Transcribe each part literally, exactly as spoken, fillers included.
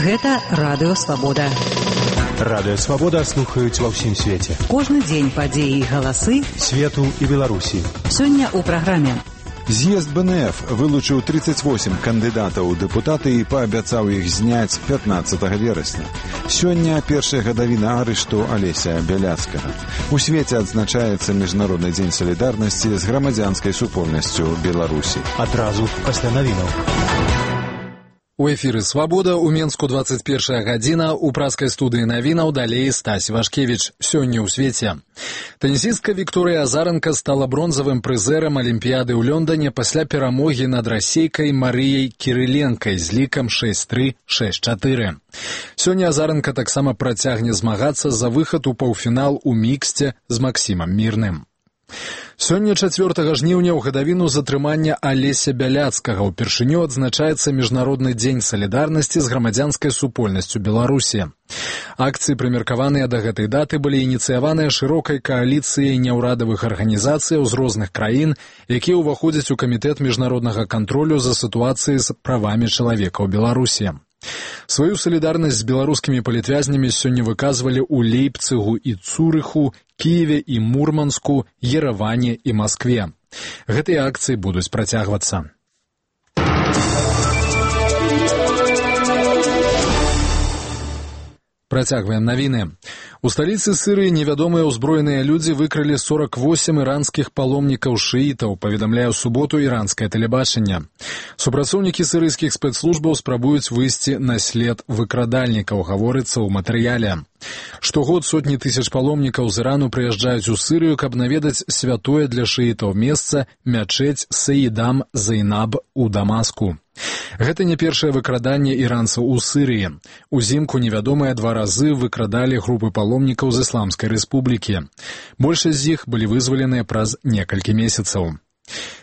Гэта Радыё Свабода. Радыё Свабода слухаюць ва ўсім свеце. Кожны дзень падзеі і галасы свету і Беларусі. Сёння ў праграме. З'езд Бэ Эн Эф вылучыў тридцать восемь кандыдатаў у дэпутаты і паабяцаў іх зняць пятнадцатага верасня. Сёння першая гадавіна арышту Алеся Бяляцкага. У свеце адзначаецца Міжнародны дзень салідарнасці з грамадзянскай супольнасцю Беларусі. Адразу пасля навінаў. У эфіры «Свабода» у Менску двадцать первая гадзіна, у праскай студыі навінаў далей Стась Вашкевіч. Сёння ў свеце. Тэнісістка Вікторыя Азаранка стала бронзавым прызэрам Алімпіяды ў Лондане пасля перамогі над расейкай Марыяй Кірыленкай з лікам шэсць тры — шэсць чатыры. Сёння Азаранка таксама працягне змагацца за выхад у паўфінал у міксце з Максімам Мірным. Сёння чацвёртага жніўня ў гадавіну затрымання Алеся Бяляцкага ўпершыню адзначаецца Міжнародны дзень салідарнасці з грамадзянскай супольнасцю Беларусі. Акцыі, прымеркаваныя да гэтай даты, былі ініцыяваныя шырокай кааліцыяй няўрадавых арганізацыяў з розных краін, якія ўваходзяць у камітэт міжнароднага кантролю за сітуацыяй з правамі чалавека ў Беларусі. Сваю салідарнасць з беларускімі палітвязнямі сёння выказвалі ў Лейпцыгу і Цурыху, Кіеве і Мурманску, Ерэване і Маскве. Гэтыя акцыі будуць працягвацца. Працягваем навіны. У сталіцы Сырыі невядомыя ўзброеныя людзі выкралі сорок восемь іранскіх паломнікаў шыітаў, паведамляе ў суботу іранскае тэлебачанне. Супрацоўнікі сырыйскіх спецслужбаў спрабуюць выйсці на след выкрадальнікаў, гаворыцца ў матэрыяле. Штогод сотні тысяч паломнікаў з Ірану прыязджаюць у Сырыю, каб наведаць святое для шыітаў месца мячэць Саідам Зайнаб у Дамаску. Гэта не першае выкраданне іранцаў у Сырыі. Узімку невядомыя два разы выкрадалі групы паломнікаў з Ісламскай рэспублікі. Большасць з іх былі вызваленыя праз некалькі месяцаў.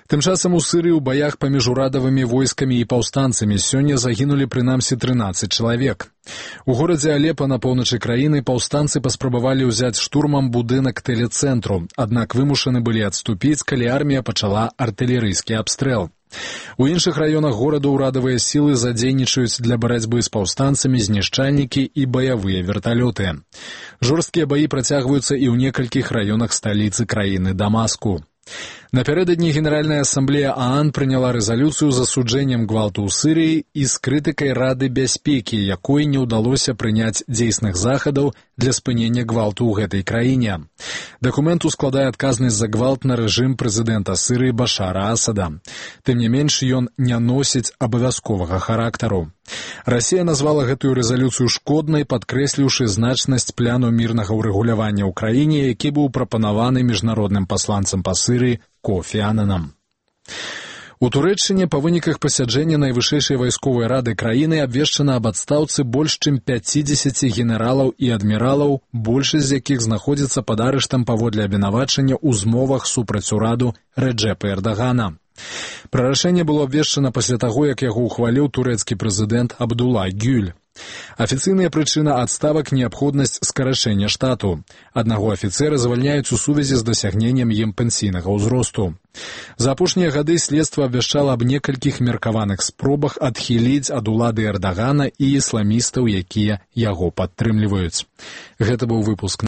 Тым часам у Сырыі ў баях паміж урадавымі войскамі і паўстанцамі сёння загінулі прынамсі трынаццаць чалавек. У горадзе Алепа на поўначы краіны паўстанцы паспрабавалі ўзяць штурмам будынак тэлецэнтру, аднак вымушаны былі адступіць, калі армія пачала артылерыйскі абстрэл. У іншых раёнах горада ўрадавыя сілы задзейнічаюць для барацьбы з паўстанцамі знішчальнікі і баявыя верталёты. Жорсткія баі працягваюцца і ў некалькіх раёнах сталіцы краіны Дамаску. Напярэдадні Генеральная асамблея ААН прыняла рэзалюцыю з асуджэннем гвалту ў Сырыі і з крытыкай Рады бяспекі, якой не ўдалося прыняць дзейсных захадаў для спынення гвалту ў гэтай краіне. Дакумент ускладае адказнасць за гвалт на рэжым прэзідэнта Сырыі Башара Асада. Тым не менш, ён не носіць абавязковага характару. Расія назвала гэтую рэзалюцыю шкоднай, падкрэсліўшы значнасць пляну мірнага ўрэгулявання ў краіне, які быў прапанаваны міжнародным пасланцам па Сырыі Кофі Ананам. У Турэччыне па выніках пасяджэння найвышэйшай вайсковай рады краіны абвешчана аб адстаўцы больш чым пяцідзесяці генералаў і адміралаў, большасць з якіх знаходзіцца пад арыштам паводле абвінавачання ў змовах супраць ураду Рэджэпа Эрдагана. Пра рашэнне было абвешчана пасля таго, як яго ўхваліў турэцкі прэзідэнт Абдулла Гюль. Афіцыйная прычына адставак — неабходнасць скарачэння штату. Аднаго афіцэра звальняюць у сувязі з дасягненнем ім пенсійнага ўзросту. За апошнія гады следства абвяшчала аб некалькіх меркаваных спробах адхіліць ад улады Эрдагана і ісламістаў, якія яго падтрымліваюць. Гэта быў выпуск